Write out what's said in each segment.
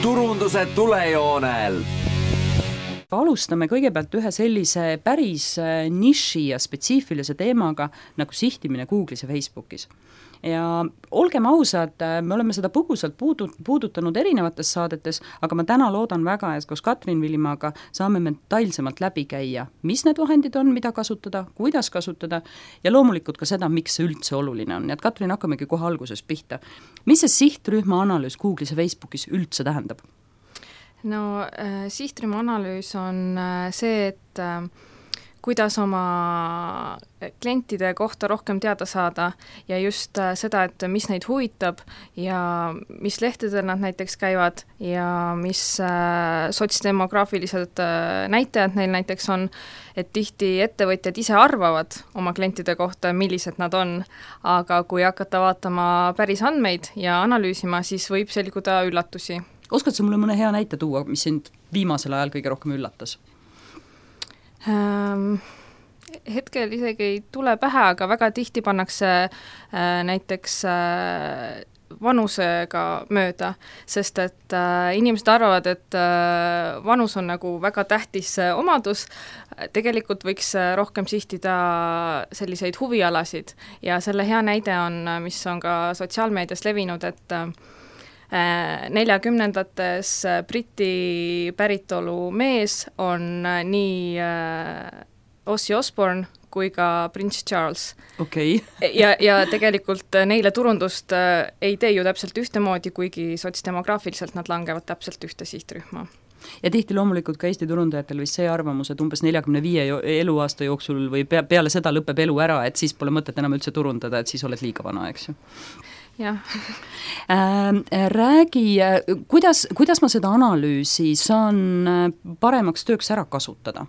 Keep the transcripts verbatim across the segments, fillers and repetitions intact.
turunduse tulejoonel. Alustame kõigepealt ühe sellise päris niši ja spetsiifilise teemaga nagu sihtimine Google'is ja Facebookis. Ja olgem ausad, me oleme seda põgusalt puudutanud erinevates saadetes, aga ma täna loodan väga, et koos Katrin Villimaaga saame me detailsemalt läbi käia, mis need vahendid on, mida kasutada, kuidas kasutada ja loomulikult ka seda, miks see üldse oluline on. Nii et Katrin, hakkamegi kohe alguses pihta. Mis see sihtrühma analüüs Google'is ja Facebookis üldse tähendab? No äh, sihtrühma analüüs on äh, see, et äh, kuidas oma klientide kohta rohkem teada saada ja just äh, seda, et mis neid huvitab ja mis lehtedel nad näiteks käivad ja mis äh, sotsdemograafilised äh, näitajad neil näiteks on, et tihti ettevõtjad ise arvavad oma klientide kohta, millised nad on, aga kui hakata vaatama päris andmeid ja analüüsima, siis võib selguda üllatusi. Oskad sa mulle mõne hea näite tuua, mis sind viimasel ajal kõige rohkem üllatas? Ähm, hetkel isegi ei tule pähe, aga väga tihti pannakse äh, näiteks äh, vanusega mööda, sest et äh, inimesed arvavad, et äh, vanus on nagu väga tähtis äh, omadus, tegelikult võiks äh, rohkem sihtida selliseid huvialasid ja selle hea näide on, mis on ka sotsiaalmeedias levinud, et äh, neljakümnendates Briti päritolu mees on nii Ozzy Osbourne kui ka Prince Charles. Okay. ja, ja tegelikult neile turundust ei tee ju täpselt ühtemoodi, kuigi sotsdemograafiliselt nad langevad täpselt ühte sihtrühma. Ja tihti loomulikult ka Eesti turundajatel vist see arvamus, et umbes neljakümne viie eluaasta jooksul või peale seda lõpeb elu ära, et siis pole mõtet enam üldse turundada, et siis oled liiga vana, eks ju. Jah. Äh, räägi, kuidas, kuidas ma seda analüüsi saan paremaks tööks ära kasutada?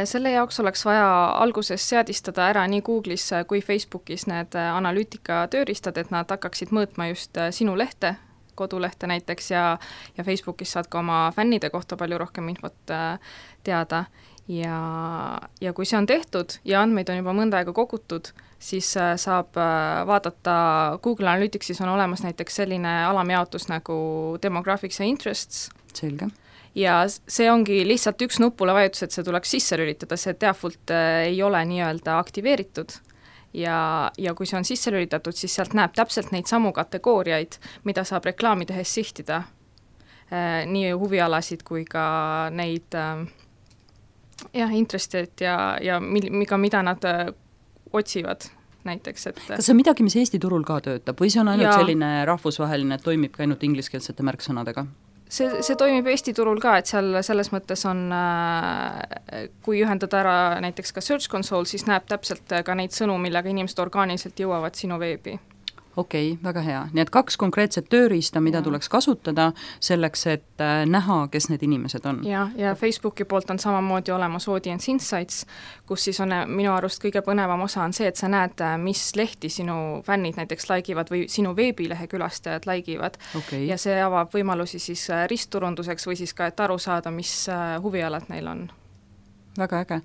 Selle jaoks oleks vaja alguses seadistada ära nii Google'is kui Facebookis need analüütika tööriistad, et nad hakkaksid mõõtma just sinu lehte, kodulehte näiteks ja, ja Facebookis saad ka oma fännide kohta palju rohkem infot teada ja, ja kui see on tehtud ja andmeid on juba mõnda aega kogutud, siis saab vaadata, Google Analyticsis on olemas näiteks selline alamjaotus nagu demographics ja interests. Selge. Ja see ongi lihtsalt üks nupule vajutus, et see tuleks sisse lülitada, see default ei ole nii-öelda aktiveeritud. Ja, ja kui see on sisse lülitatud, siis sealt näeb täpselt neid samu kategooriaid, mida saab reklaami tehes sihtida. Nii huvialasid kui ka neid jah, interested ja, ja mida, mida nad otsivad näiteks. Et kas see on midagi, mis Eesti turul ka töötab või see on ainult ja selline rahvusvaheline, et toimib ka ainult ingliskeelsete märksõnadega? See, see toimib Eesti turul ka, et seal selles mõttes on, kui ühendada ära näiteks ka Search Console, siis näeb täpselt ka neid sõnu, millega inimesed orgaaniliselt jõuavad sinu veebi. Okei, okay, väga hea. Nii et kaks konkreetset tööriista, mida ja tuleks kasutada selleks, et näha, kes need inimesed on. Ja, ja Facebooki poolt on samamoodi olemas Audience Insights, kus siis on minu arust kõige põnevam osa on see, et sa näed, mis lehti sinu fännid näiteks laigivad või sinu veebilehe külastajad laigivad. Okay. Ja see avab võimalusi siis ristturunduseks või siis ka, et aru saada, mis huvialad neil on. Väga äge.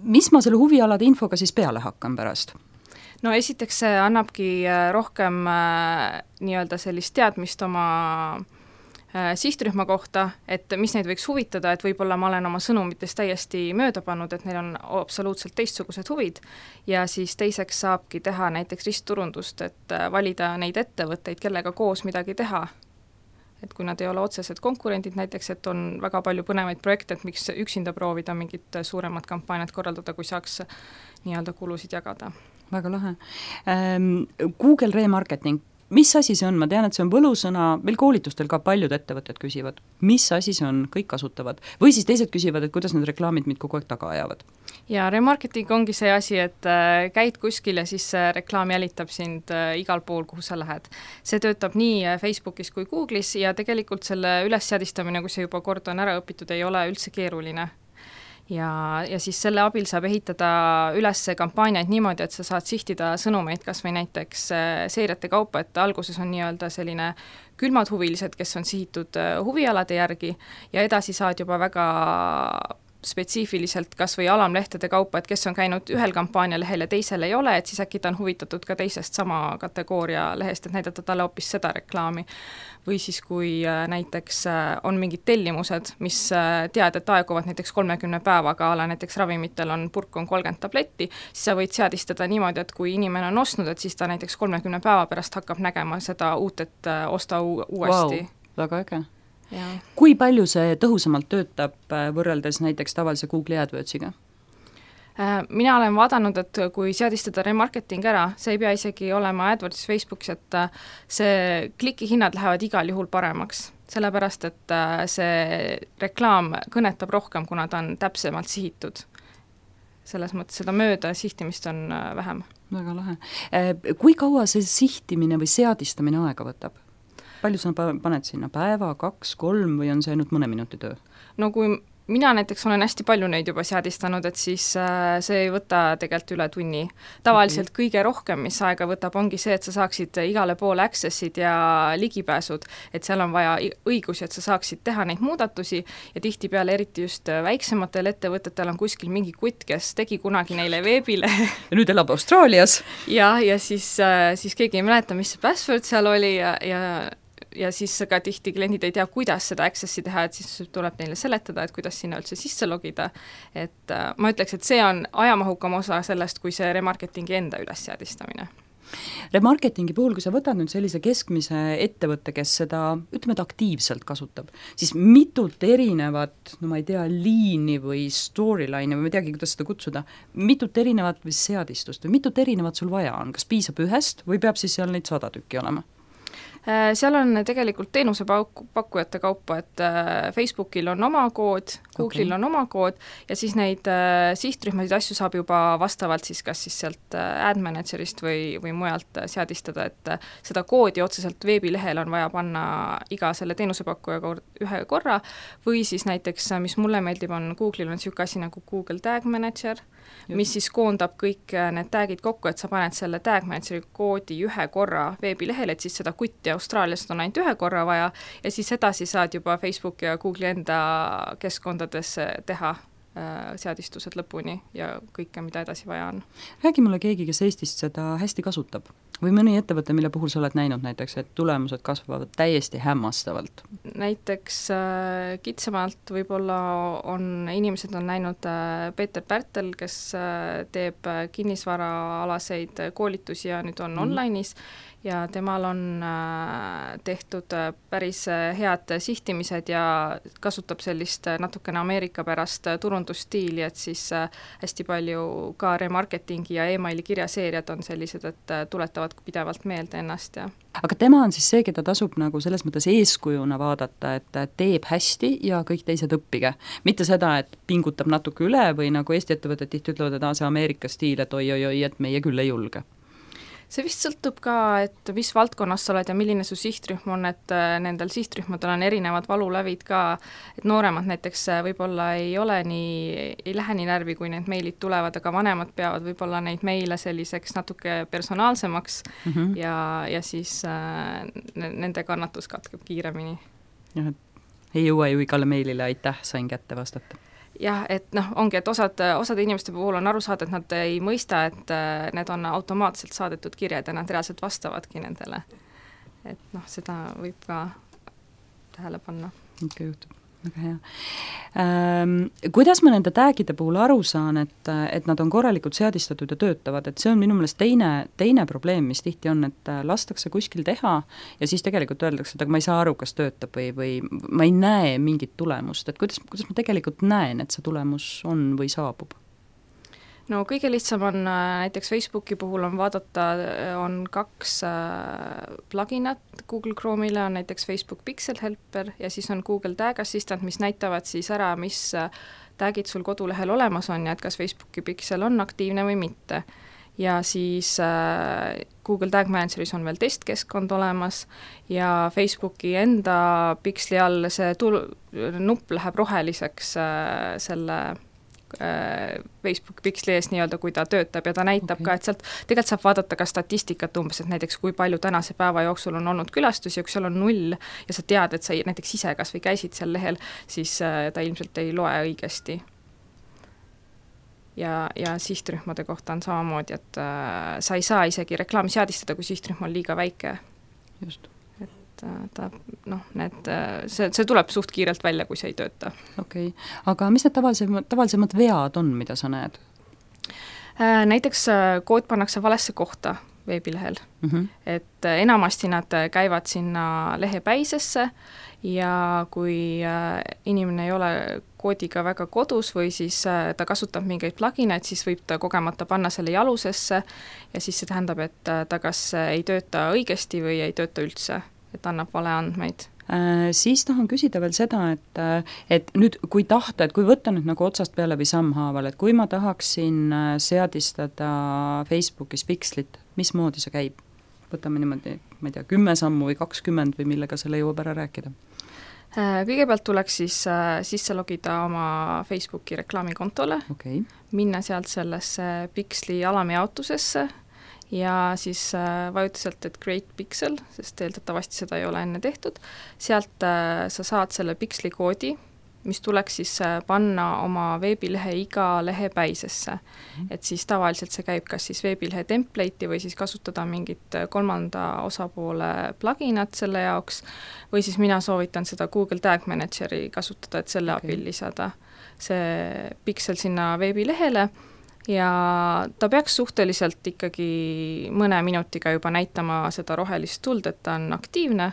Mis ma selle huvialade infoga siis peale hakkan pärast? No esiteks see annabki rohkem äh, nii-öelda sellist teadmist oma äh, sihtrühma kohta, et mis neid võiks huvitada, et võib-olla ma olen oma sõnumitest täiesti mööda pannud, et neil on absoluutselt teistsugused huvid ja siis teiseks saabki teha näiteks ristturundust, et äh, valida neid ettevõtteid, kellega koos midagi teha. Et kui nad ei ole otsesed konkurendid näiteks, et on väga palju põnevaid projekte, et miks üksinda proovida mingit suuremat kampaaniat korraldada, kui saaks nii-öelda kulusid jagada. Väga lahe. Google remarketing, mis asi see on? Ma tean, et see on võlusõna, meil koolitustel ka paljud ettevõtted küsivad, mis asi see on, kõik kasutavad. Või siis teised küsivad, et kuidas need reklaamid mind kogu aeg taga ajavad. Ja remarketing ongi see asi, et käid kuskil ja siis reklaam jälitab sind igal pool, kuhu sa lähed. See töötab nii Facebookis kui Google'is ja tegelikult selle ülesseadistamine, kui see juba kord on ära õpitud, ei ole üldse keeruline. Ja, ja siis selle abil saab ehitada üles kampaaniaid niimoodi, et sa saad sihtida sõnumeid kas või näiteks seeriate kaupa, et alguses on nii-öelda selline külmad huvilised, kes on sihitud huvialade järgi ja edasi saad juba väga spetsiifiliselt kas või alamlehtede kaupa, et kes on käinud ühel kampaanialehel ja teisel ei ole, et siis äkki ta on huvitatud ka teisest sama kategooria lehest, et näidata talle hoopis seda reklaami. Või siis, kui näiteks on mingid tellimused, mis tead, et aeguvad näiteks kolmekümne päevaga, ala näiteks ravimitel on purk on kolmkümmend tabletti, siis sa võid seadistada niimoodi, et kui inimene on ostnud, et siis ta näiteks kolmekümne päeva pärast hakkab nägema seda uut, et osta uuesti. Wow, väga äge. Ja. Kui palju see tõhusamalt töötab võrreldes näiteks tavalise Google'i AdWords'iga? Mina olen vaadanud, et kui seadistada remarketing ära, see ei pea isegi olema AdWordsis, Facebookis, et see klikihinnad lähevad igal juhul paremaks, sellepärast, et see reklaam kõnetab rohkem, kuna ta on täpsemalt sihitud. Selles mõttes seda mööda sihtimist on vähem. Väga lahe. Kui kaua see sihtimine või seadistamine aega võtab? Palju sa paned sinna päeva, kaks, kolm või on see ainult mõne minuti töö? No kui mina näiteks olen hästi palju neid juba seadistanud, et siis see ei võta tegelikult üle tunni. Tavaliselt okay. Kõige rohkem, mis aega võtab, ongi see, et sa saaksid igale poole accessid ja ligipääsud, et seal on vaja õigusi, et sa saaksid teha neid muudatusi ja tihtipeale eriti just väiksematel ettevõtetel on kuskil mingi kutt, kes tegi kunagi neile veebile. Ja nüüd elab Austraalias. Ja, ja siis, siis keegi ei mäleta, mis see password seal oli ja, ja ja siis ka tihti kliendid ei tea, kuidas seda accessi teha, et siis tuleb neile seletada, et kuidas sinna üldse sisse logida. Et äh, ma ütleks, et see on ajamahukam osa sellest, kui see remarketingi enda üles seadistamine. Remarketingi puhul, kui sa võtad nüüd sellise keskmise ettevõtte, kes seda, ütleme, et aktiivselt kasutab, siis mitut erinevat, no ma ei tea, liini või storyline või ma ei teagi, kuidas seda kutsuda, mitut erinevat või seadistust või mitut erinevat sul vaja on, kas piisab ühest või peab siis seal neid sada tükki olema? Seal on tegelikult teenusepakkujate kaupa, et Facebookil on oma kood, Google'il okay. on oma kood ja siis neid sihtrühmasid asju saab juba vastavalt siis kas siis sealt ad managerist või, või mujalt seadistada, et seda koodi otseselt veebilehel on vaja panna iga selle teenusepakkuja kord, ühe korra või siis näiteks, mis mulle meeldib, on Google'il on niisugune asi nagu Google Tag Manager, mis siis koondab kõik need tagid kokku, et sa paned selle Tag Manageri koodi ühe korra veebilehel, et siis seda kutti Austraaliast on ainult ühe korra vaja ja siis edasi saad juba Facebook ja Google'i enda keskkondades teha äh, seadistused lõpuni ja kõike, mida edasi vaja on. Räägi mulle keegi, kes Eestist seda hästi kasutab või mõni ettevõte, mille puhul sa oled näinud näiteks, et tulemused kasvavad täiesti hämmastavalt? Näiteks äh, kitsamalt võib-olla on, inimesed on näinud äh, Peeter Pärtel, kes äh, teeb kinnisvaraalaseid koolitusi ja nüüd on mm. online'is ja temal on äh, tehtud äh, päris äh, head sihtimised ja kasutab sellist äh, natukene Ameerika pärast äh, turundusstiili, et siis äh, hästi palju ka remarketingi ja emaili kirjaseeriad on sellised, et äh, tuletavad pidevalt meelde ennast. Ja. Aga tema on siis see, keda tasub nagu selles mõttes eeskujuna vaadata, et teeb hästi ja kõik teised õppige. Mitte seda, et pingutab natuke üle või nagu Eesti ettevõtted tihti ütlevad, et see Ameerika stiil, et oi-oi-oi, et meie küll ei julge. See vist sõltub ka, et mis valdkonnas sa oled ja milline su sihtrühm on, et nendel sihtrühmadel on erinevad valulävid ka, et nooremad näiteks võib-olla ei ole nii, ei lähe nii närvi, kui need meilid tulevad, aga vanemad peavad võib-olla neid meile selliseks natuke personaalsemaks mm -hmm. ja, ja siis äh, nende kannatus katkeb kiiremini. Jah, ei jõua ju igale meilile aitäh, sain kätte vastata. Jah, et noh, ongi, et osad, osade inimeste puhul on aru saada, et nad ei mõista, et need on automaatselt saadetud kirjad ja nad reaalselt vastavadki nendele. Et noh, seda võib ka tähele panna. Ikka juhtub, väga hea. Ähm, kuidas ma nende tagide puhul aru saan, et, et nad on korralikult seadistatud ja töötavad, et see on minu meelest teine, teine probleem, mis tihti on, et lastakse kuskil teha ja siis tegelikult öeldakse, et aga ma ei saa aru, kas töötab või, või ma ei näe mingit tulemust, et kuidas, kuidas ma tegelikult näen, et see tulemus on või saabub? No kõige lihtsam on näiteks Facebooki puhul on vaadata, on kaks pluginat Google Chrome'ile, on näiteks Facebook Pixel Helper ja siis on Google Tag Assistant, mis näitavad siis ära, mis tagid sul kodulehel olemas on ja et kas Facebooki Pixel on aktiivne või mitte. Ja siis Google Tag Manageris on veel testkeskkond olemas ja Facebooki enda Pixeli all see tul- nupp läheb roheliseks selle Facebook Pixeli ees nii-öelda, kui ta töötab ja ta näitab okay. ka, et sealt tegelikult saab vaadata ka statistikat umbes, et näiteks kui palju tänase päeva jooksul on olnud külastusi ja kui seal on null ja sa tead, et sa näiteks ise kas või käisid seal lehel, siis ta ilmselt ei loe õigesti. ja, ja sihtrühmade kohta on samamoodi, et äh, sa ei saa isegi reklaami seadistada, kui sihtrühm on liiga väike. Just. Et äh, ta, noh, need, see, see tuleb suht kiirelt välja, kui see ei tööta. Okei, okay. Aga mis need tavalisemad, tavalisemad vead on, mida sa näed? Äh, näiteks äh, kood pannakse valesse kohta veebilehel, mm -hmm. et äh, enamasti nad käivad sinna lehepäisesse ja kui äh, inimene ei ole koodiga väga kodus või siis äh, ta kasutab mingeid plugineid, siis võib ta kogemata panna selle jalusesse ja siis see tähendab, et äh, ta kas ei tööta õigesti või ei tööta üldse, et annab vale andmeid. Äh, siis tahan küsida veel seda, et, et nüüd kui tahta, et kui võtta nüüd nagu otsast peale või sammhaaval, et kui ma tahaksin seadistada Facebookis pikslit, mismoodi see käib? Võtame niimoodi, ma ei tea, kümme sammu või kakskümmend või millega selle jõuab ära rääkida? Kõigepealt tuleks siis sisse logida oma Facebooki reklaamikontole, okay. minna sealt sellesse piksli alamjaotusesse ja siis vajuta sealt, et create pixel, sest eeldatavasti seda ei ole enne tehtud, sealt sa saad selle piksli koodi, mis tuleks siis panna oma veebilehe iga lehepäisesse. Mm. Et siis tavaliselt see käib kas siis veebilehe template'i või siis kasutada mingit kolmanda osapoole pluginat selle jaoks või siis mina soovitan seda Google Tag Manageri kasutada, et selle okay. abil lisada see piksel sinna veebilehele ja ta peaks suhteliselt ikkagi mõne minutiga juba näitama seda rohelist tuld, et ta on aktiivne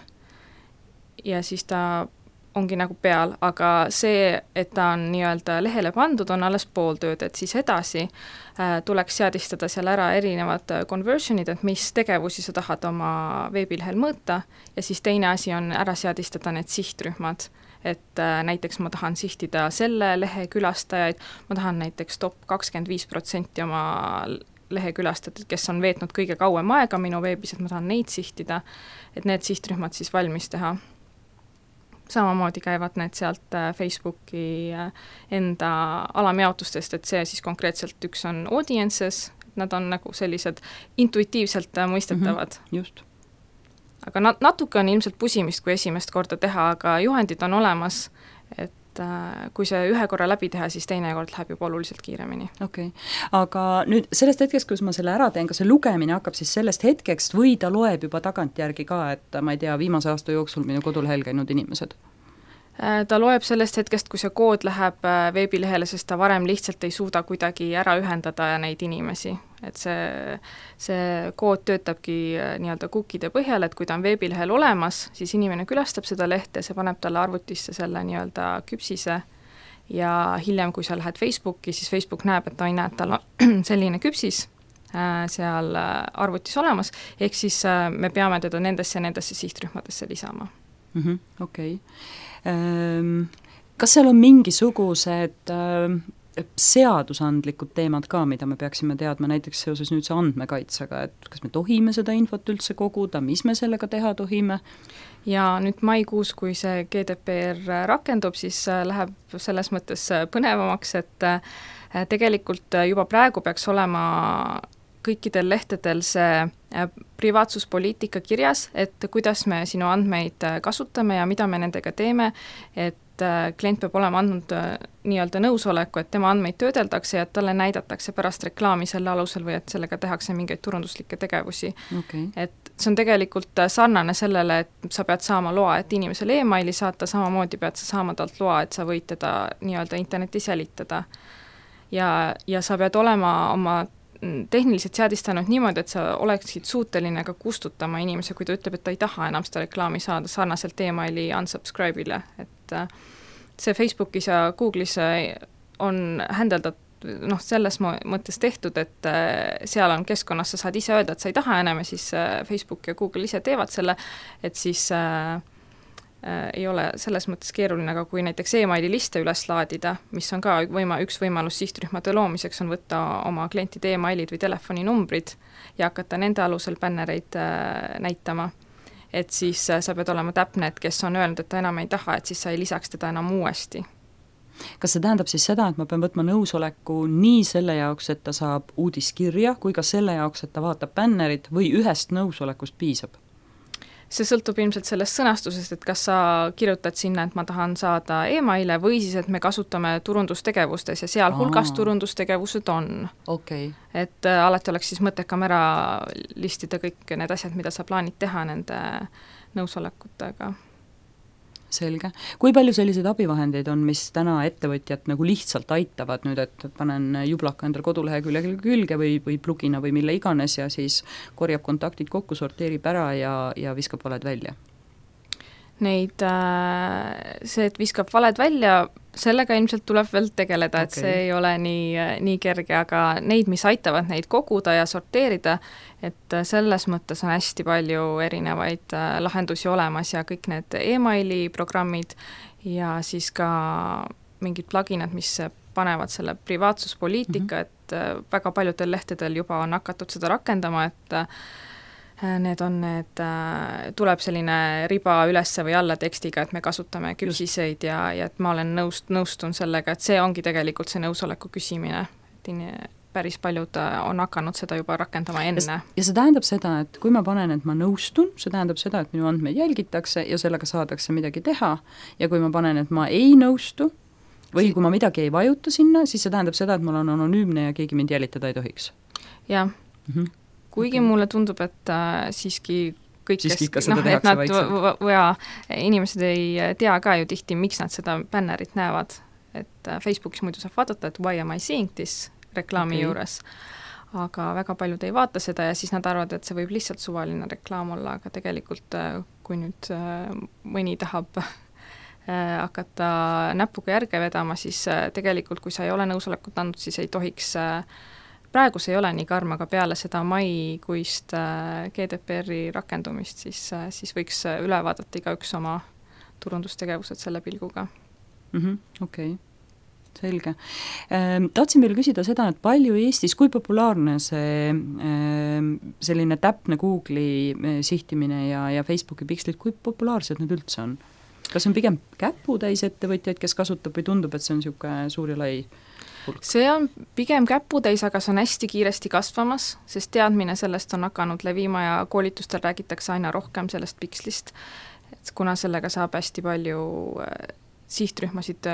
ja siis ta ongi nagu peal, aga see, et ta on nii-öelda lehele pandud, on alles pool tööd, et siis edasi äh, tuleks seadistada seal ära erinevad conversionid, et mis tegevusi sa tahad oma veebilehel mõõta ja siis teine asi on ära seadistada need sihtrühmad, et äh, näiteks ma tahan sihtida selle lehe külastajaid, ma tahan näiteks top kakskümmend viis protsenti oma lehe külastajaid, kes on veetnud kõige kauem aega minu veebis, et ma tahan neid sihtida, et need sihtrühmad siis valmis teha. Samamoodi käivad need sealt Facebooki enda alamjaotustest, et see siis konkreetselt üks on audiences, nad on nagu sellised intuitiivselt mõistetavad. Mm-hmm, just. Aga nat- natuke on ilmselt pusimist, kui esimest korda teha, aga juhendid on olemas, et kui see ühe korra läbi teha, siis teine kord läheb juba oluliselt kiiremini. Okei, okay. Aga nüüd sellest hetkest, kus ma selle ära teen, kas see lugemine hakkab siis sellest hetkekst või ta loeb juba tagantjärgi ka, et ma ei tea, viimase aasta jooksul minu kodulehel käinud inimesed? Ta loeb sellest hetkest, kui see kood läheb veebilehele, sest ta varem lihtsalt ei suuda kuidagi ära ühendada neid inimesi. Et see, see kood töötabki nii-öelda cookide põhjal, et kui ta on veebilehel olemas, siis inimene külastab seda lehte, see paneb talle arvutisse selle nii-öelda küpsise ja hiljem, kui sa lähed Facebooki, siis Facebook näeb, et ta ei näe, et tal on selline küpsis seal arvutis olemas, ehk siis me peame teda nendesse ja nendesse sihtrühmadesse lisama. Mm-hmm, okei. Okay. Kas seal on mingisugused seadusandlikud teemad ka, mida me peaksime teadma näiteks seoses nüüd see andmekaitsega, et kas me tohime seda infot üldse koguda, mis me sellega teha tohime? Ja nüüd maikuus, kui see G D P R rakendub, siis läheb selles mõttes põnevamaks, et tegelikult juba praegu peaks olema kõikidel lehtedel see privaatsuspoliitika kirjas, et kuidas me sinu andmeid kasutame ja mida me nendega teeme, et klient peab olema andnud nii-öelda nõusoleku, et tema andmeid töödeldakse ja et talle näidatakse pärast reklaami selle alusel või et sellega tehakse mingeid turunduslikke tegevusi. Okay. Et see on tegelikult sarnane sellele, et sa pead saama loa, et inimesele e-maili saata, samamoodi pead sa saama talt loa, et sa võid teda nii-öelda internetis jälitada. Ja, ja sa pead olema oma tehniliselt seadistanud niimoodi, et sa oleksid suuteline ka kustutama inimese, kui ta ütleb, et ta ei taha enam seda reklaami saada sarnaselt e-maili unsubscribe'ile, et see Facebookis ja Google'is on händeldat noh, selles mõttes tehtud, et seal on keskkonnas, sa saad ise öelda, et sa ei taha enam ja siis Facebook ja Google ise teevad selle, et siis äh, ei ole selles mõttes keeruline, aga kui näiteks e-maili liste üles laadida, mis on ka võima, üks võimalus sihtrühmade loomiseks, on võtta oma klientide e-mailid või telefoninumbrid ja hakata nende alusel bännereid äh, näitama. Et siis äh, sa pead olema täpne, et kes on öelnud, et ta enam ei taha, et siis sa ei lisaks teda enam uuesti. Kas see tähendab siis seda, et ma pean võtma nõusoleku nii selle jaoks, et ta saab uudiskirja, kui ka selle jaoks, et ta vaatab bännerit või ühest nõusolekust piisab? see sõltub ilmselt sellest sõnastusest, et kas sa kirjutad sinna, et ma tahan saada emaile või siis, et me kasutame turundustegevustes ja sealhulgas turundustegevused on. Okay. Et äh, alati oleks siis mõttekam ära listida kõik need asjad, mida sa plaanid teha nende nõusolekutega. Selge. Kui palju selliseid abivahendeid on, mis täna ettevõtjad nagu lihtsalt aitavad nüüd, et panen jublaka endal kodulehekülje külge või, või plugina või mille iganes ja siis korjab kontaktid kokku, sorteerib ära ja, ja viskab valed välja? Neid, see, et viskab valed välja, sellega ilmselt tuleb veel tegeleda, et okay. See ei ole nii, nii kerge, aga neid, mis aitavad neid koguda ja sorteerida, et selles mõttes on hästi palju erinevaid lahendusi olemas ja kõik need emaili programmid ja siis ka mingid pluginad, mis panevad selle privaatsuspoliitika, mm-hmm. et väga paljudel lehtedel juba on hakatud seda rakendama, et need on need, tuleb selline riba ülesse või alla tekstiga, et me kasutame küpsiseid ja, ja et ma olen nõust, nõustun sellega, et see ongi tegelikult see nõusoleku küsimine, et in, päris paljud on hakanud seda juba rakendama enne. Ja see tähendab seda, et kui ma panen, et ma nõustun, see tähendab seda, et minu andmeid jälgitakse ja sellega saadakse midagi teha ja kui ma panen, et ma ei nõustu või kui ma midagi ei vajuta sinna, siis see tähendab seda, et mul on anonüümne ja keegi mind jälitada ei tohiks. Jah. Mm-hmm. Kuigi okay. Mulle tundub, et äh, siiski kõik, siiski kes, no, et nad v- ja inimesed ei tea ka ju tihti, miks nad seda bännerit näevad. Et äh, Facebookis muidu saab vaadata, et why am I seeing this reklaami okay. juures. Aga väga paljud ei vaata seda ja siis nad arvavad, et see võib lihtsalt suvaline reklaam olla, aga tegelikult äh, kui nüüd äh, mõni tahab äh, hakata näpuga järge vedama, siis äh, tegelikult kui sa ei ole nõusolekut andnud, siis ei tohiks äh, praegu see ei ole nii karm, aga peale seda maikuist G D P R-i rakendumist, siis, siis võiks üle vaadata igaüks oma turundustegevused selle pilguga. Mm-hmm, okei, okay. Selge. Ehm, tahtsin veel küsida seda, et palju Eestis, kui populaarne see ehm, selline täpne Google'i sihtimine ja, ja Facebooki pikslid, kui populaarsed need üldse on? Kas on pigem käputäis ettevõtjaid, kes kasutab või tundub, et see on niisugune suur ja lai? See on pigem käputäis, aga see on hästi kiiresti kasvamas, sest teadmine sellest on hakanud levima ja koolitustel räägitakse aina rohkem sellest pikslist, et kuna sellega saab hästi palju sihtrühmasid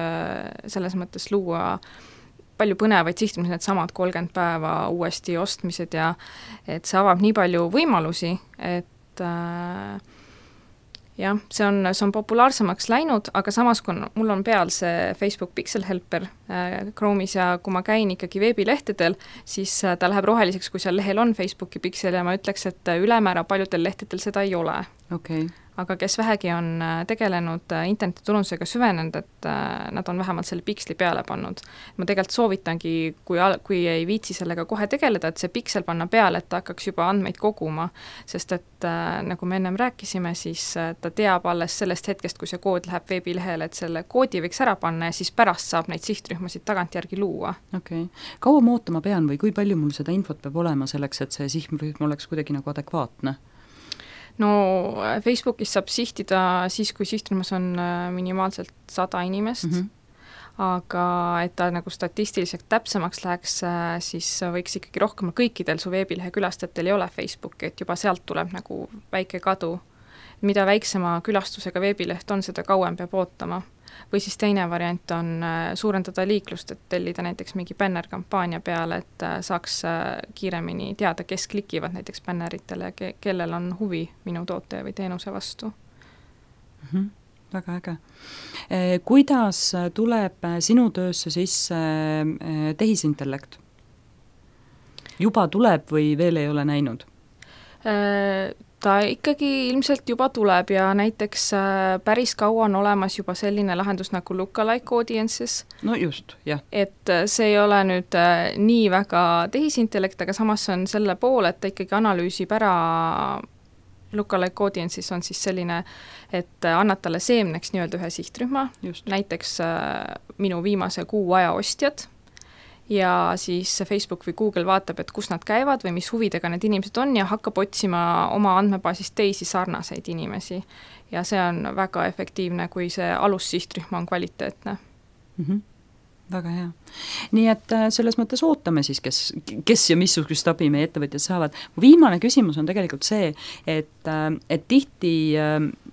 selles mõttes luua, palju põnevaid sihtrühmasid, need samad kolmkümmend päeva uuesti ostmised ja et see avab nii palju võimalusi, et äh, jah, see on, see on populaarsemaks läinud, aga samas, kui mul on peal see Facebook Pixel Helper äh, Chrome'is ja kui ma käin ikkagi veebilehtedel, siis äh, ta läheb roheliseks, kui seal lehel on Facebooki Pixel ja ma ütleks, et ülemäära paljudel lehtedel seda ei ole. Okay. Aga kes vähegi on tegelenud internetiturundusega süvenenud, et nad on vähemalt selle piksli peale pannud. Ma tegelikult soovitangi, kui, kui ei viitsi sellega kohe tegeleda, et see piksel panna peale, et ta hakkaks juba andmeid koguma, sest et nagu me ennem rääkisime, siis ta teab alles sellest hetkest, kui see kood läheb veebilehele, et selle koodi võiks ära panna ja siis pärast saab neid sihtrühmasid tagantjärgi luua. Okei. Okay. Kaua ma ootama pean või kui palju mul seda infot peab olema selleks, et see sihtrühm oleks kuidagi nagu adekvaatne? No Facebookis saab sihtida siis, kui sihtrühmas on minimaalselt sada inimest, mm-hmm. aga et ta nagu statistiliselt täpsemaks läheks, siis võiks ikkagi rohkem, kõikidel su veebilehe külastajatel ei ole Facebooki, et juba sealt tuleb nagu väike kadu. Mida väiksema külastusega veebileht on, seda kauem peab ootama. Või siis teine variant on suurendada liiklust, et tellida näiteks mingi bännerkampaania peale, et saaks kiiremini teada, kes klikivad näiteks bänneritele ja ke- kellel on huvi minu toote või teenuse vastu. Mm-hmm. Väga äge. Kuidas tuleb sinu töösse sisse tehisintellekt? Juba tuleb või veel ei ole näinud? Ta ikkagi ilmselt juba tuleb ja näiteks päris kaua on olemas juba selline lahendus nagu lookalike audiences. No just, jah. Et see ei ole nüüd nii väga tehisintellekt, aga samas on selle pool, et ta ikkagi analüüsib ära lookalike audiences on siis selline, et annad talle seemneks nii-öelda ühe sihtrühma, just. Näiteks minu viimase kuu aja ostjad, ja siis Facebook või Google vaatab, et kus nad käivad või mis huvidega need inimesed on ja hakkab otsima oma andmebaasist teisi sarnaseid inimesi. Ja see on väga efektiivne, kui see alussihtrühm on kvaliteetne. Mm-hmm. väga hea. Nii et selles mõttes ootame siis, kes, kes ja missugust abi meie ettevõtjad saavad. Viimane küsimus on tegelikult see, et, et tihti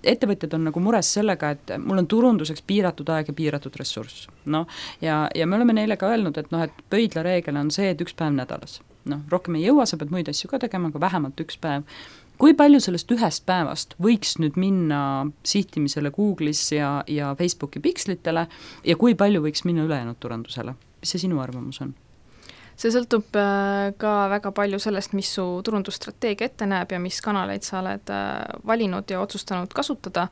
ettevõtjad on nagu mures sellega, et mul on turunduseks piiratud aeg ja piiratud ressurss. No, ja, ja me oleme neile ka öelnud, et, noh, et pöidla reegel on see, et üks päev nädalas. No, rohkem ei jõua, sa pead muid asju ka tegema, aga vähemalt üks päev. Kui palju sellest ühest päevast võiks nüüd minna sihtimisele Google'is ja, ja Facebooki pikslitele ja kui palju võiks minna ülejäänud turundusele? Mis see sinu arvamus on? See sõltub ka väga palju sellest, mis su turundusstrateegia ette näeb ja mis kanaleid sa oled valinud ja otsustanud kasutada.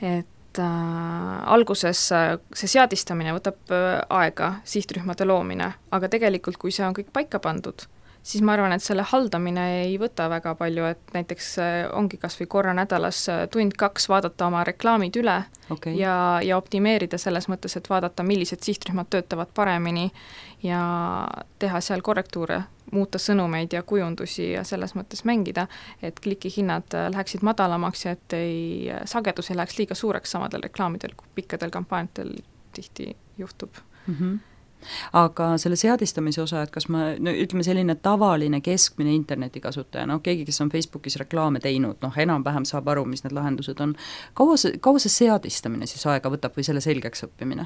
Et äh, alguses see seadistamine võtab aega, sihtrühmade loomine, aga tegelikult kui see on kõik paika pandud, siis ma arvan, et selle haldamine ei võta väga palju, et näiteks ongi kas või korra nädalas tund-kaks vaadata oma reklaamid üle okay. ja, ja optimeerida selles mõttes, et vaadata, millised sihtrühmad töötavad paremini ja teha seal korrektuure, muuta sõnumeid ja kujundusi ja selles mõttes mängida, et klikihinnad läheksid madalamaks ja et ei, sagedus ei läheks liiga suureks samadel reklaamidel, kui pikkadel kampaaniatel tihti juhtub. Mhm. Aga selle seadistamise osa, et kas ma, no ütleme selline tavaline keskmine internetikasutaja, noh keegi, kes on Facebookis reklaame teinud, noh enam-vähem saab aru, mis need lahendused on. Kaua see, kaua see seadistamine siis aega võtab või selle selgeks õppimine?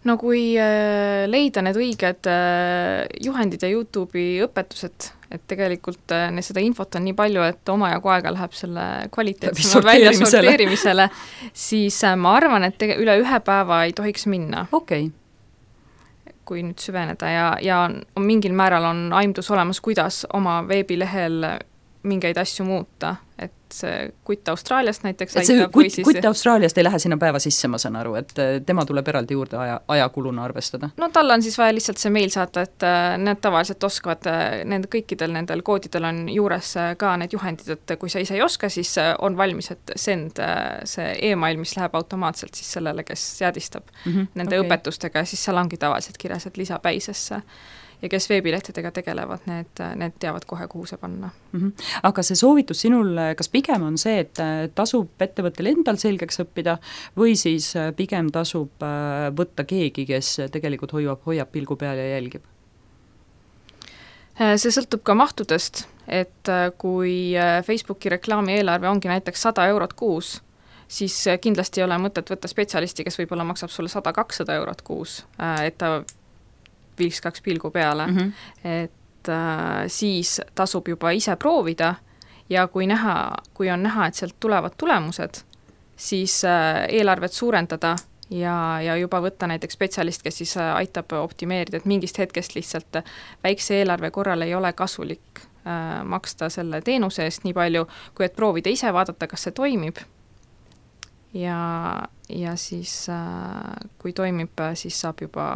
No kui äh, leida need õiged äh, juhendid ja YouTube'i õpetused, et tegelikult äh, seda infot on nii palju, et omajagu aega läheb selle kvaliteetsema välja sorteerimisele, siis äh, ma arvan, et tege- üle ühe päeva ei tohiks minna. Okei. Okay. kui nüüd süveneda ja, ja on mingil määral on aimdus olemas, kuidas oma veebilehel mingeid asju muuta, et see kutt Austraaliast näiteks et see kutt, siis... kutt Austraaliast ei lähe sinna päeva sisse, ma saan aru, et tema tuleb eraldi juurde aja, ajakuluna arvestada. No tal on siis vaja lihtsalt see meil saata, et need tavaliselt oskavad, nende kõikidel nendel koodidel on juures ka need juhendid, et kui sa ise ei oska, siis on valmis, et send see email, mis läheb automaatselt siis sellele, kes seadistab mm-hmm, nende okay. õpetustega ja siis seal ongi tavaliselt kirjas, et lisa päisesse. Ja kes veebilehtedega tegelevad, need, need teavad kohe, kuhu see panna. Mm-hmm. Aga see soovitus sinul, kas pigem on see, et tasub ettevõttel endal selgeks õppida või siis pigem tasub võtta keegi, kes tegelikult hoiab, hoiab pilgu peal ja jälgib? See sõltub ka mahtudest, et kui Facebooki reklaami eelarve ongi näiteks sada eurot kuus, siis kindlasti ei ole mõtet võtta spetsialisti, kes võib-olla maksab sulle sada kakssada eurot kuus, et ta viiks kaks pilgu peale, mm-hmm. et äh, siis tasub juba ise proovida ja kui näha, kui on näha, et sealt tulevad tulemused, siis äh, eelarvet suurendada ja, ja juba võtta näiteks spetsialist, kes siis äh, aitab optimeerida, et mingist hetkest lihtsalt väikse eelarve korral ei ole kasulik äh, maksta selle teenuse eest nii palju, kui et proovida ise vaadata, kas see toimib ja, ja siis äh, kui toimib, siis saab juba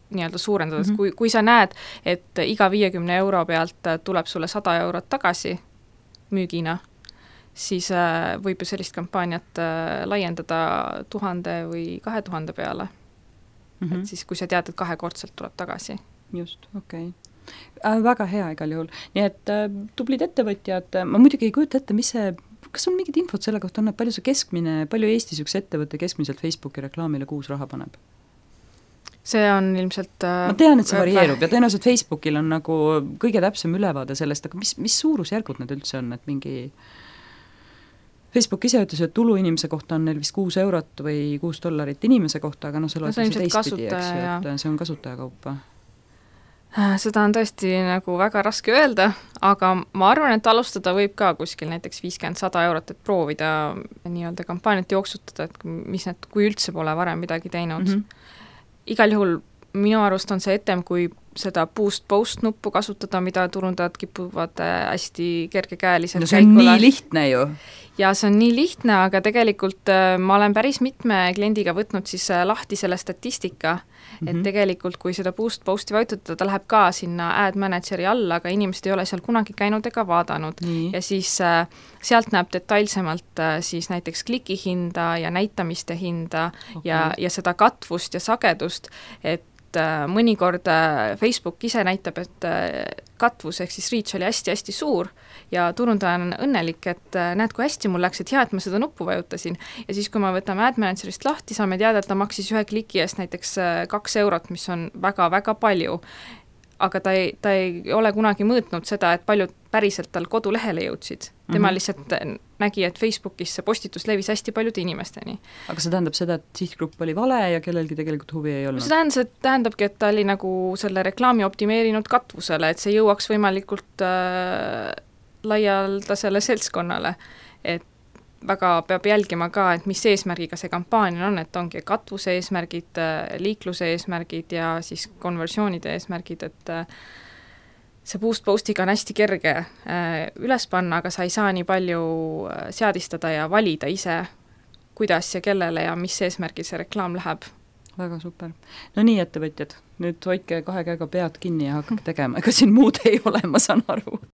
nii-öelda suurendada, mm-hmm. kui, kui sa näed, et iga viiekümne euro pealt tuleb sulle sada eurot tagasi müügina, siis äh, võib ju sellist kampaaniat äh, laiendada tuhande või kahe tuhande peale. Mm-hmm. Et siis, kui sa tead, et kahekordselt tuleb tagasi. Just, okei. Okay. Äh, väga hea igal juhul. Nii et äh, tublid ettevõtjad, ma muidugi ei kujuta ette, mis see, kas on mingid infot selle kohta on, et palju see keskmine, palju Eestis üks ettevõte keskmiselt Facebooki reklaamile kuus raha paneb? See on ilmselt äh, ma tean, et see varieerub ja tõenäoliselt Facebookil on nagu kõige täpsem ülevaade sellest, aga mis, mis suurusjärgud need üldse on, et mingi Facebook ise ütles, et tulu inimese kohta on neil vist kuus eurot või kuus dollarit inimese kohta, aga noh, see loetakse no, teistpidi, eks ju, et see on kasutajakaupa. Seda on tõesti nagu väga raske öelda, aga ma arvan, et alustada võib ka kuskil näiteks viiskümmend sada eurot, et proovida nii-öelda kampaaniat jooksutada, et mis need, kui üldse pole varem midagi teinud. Mm-hmm. Igal juhul minu arust on see etem, kui seda boost-post nuppu kasutada, mida turundajad kipuvad hästi kergekäeliselt no see on käikule. Nii lihtne ju. Ja see on nii lihtne, aga tegelikult ma olen päris mitme kliendiga võtnud siis lahti selle statistika, et mm-hmm. tegelikult kui seda boost-posti vajutada, ta läheb ka sinna ad manageri alla, aga inimesed ei ole seal kunagi käinud ega vaadanud. Nii. Ja siis sealt näeb detailsemalt siis näiteks klikihinda ja näitamiste hinda okay. ja, ja seda katvust ja sagedust, et et mõnikord Facebook ise näitab, et katvus ehk siis reach oli hästi-hästi suur ja turundaja on õnnelik, et näed, kui hästi mul läks, et hea, et ma seda nuppu vajutasin. Ja siis, kui me võtame Ad Managerist lahti, saame teada, et ta maksis ühe kliki eest näiteks kaks eurot, mis on väga-väga palju. Aga ta ei, ta ei ole kunagi mõõtnud seda, et paljud päriselt tal kodulehele jõudsid. Tema mm -hmm. lihtsalt nägi, et Facebookis see postitus levis hästi paljude inimesteni. Aga see tähendab seda, et sihtgrupp oli vale ja kellelgi tegelikult huvi ei olnud? See tähendab, tähendabki, et ta oli nagu selle reklaami optimeerinud katvusele, et see jõuaks võimalikult äh, laialdasele seltskonnale. Et väga peab jälgima ka, et mis eesmärgiga see kampaania on, et ongi katvuse eesmärgid, liikluse eesmärgid ja siis konversioonide eesmärgid, et see boost postiga on hästi kerge üles panna, aga sa ei saa nii palju seadistada ja valida ise, kuidas ja kellele ja mis eesmärgil see reklaam läheb. Väga super. No nii, ettevõtjad, nüüd hoidke kahe käega pead kinni ja hakake tegema, ega siin muud ei ole, ma saan aru.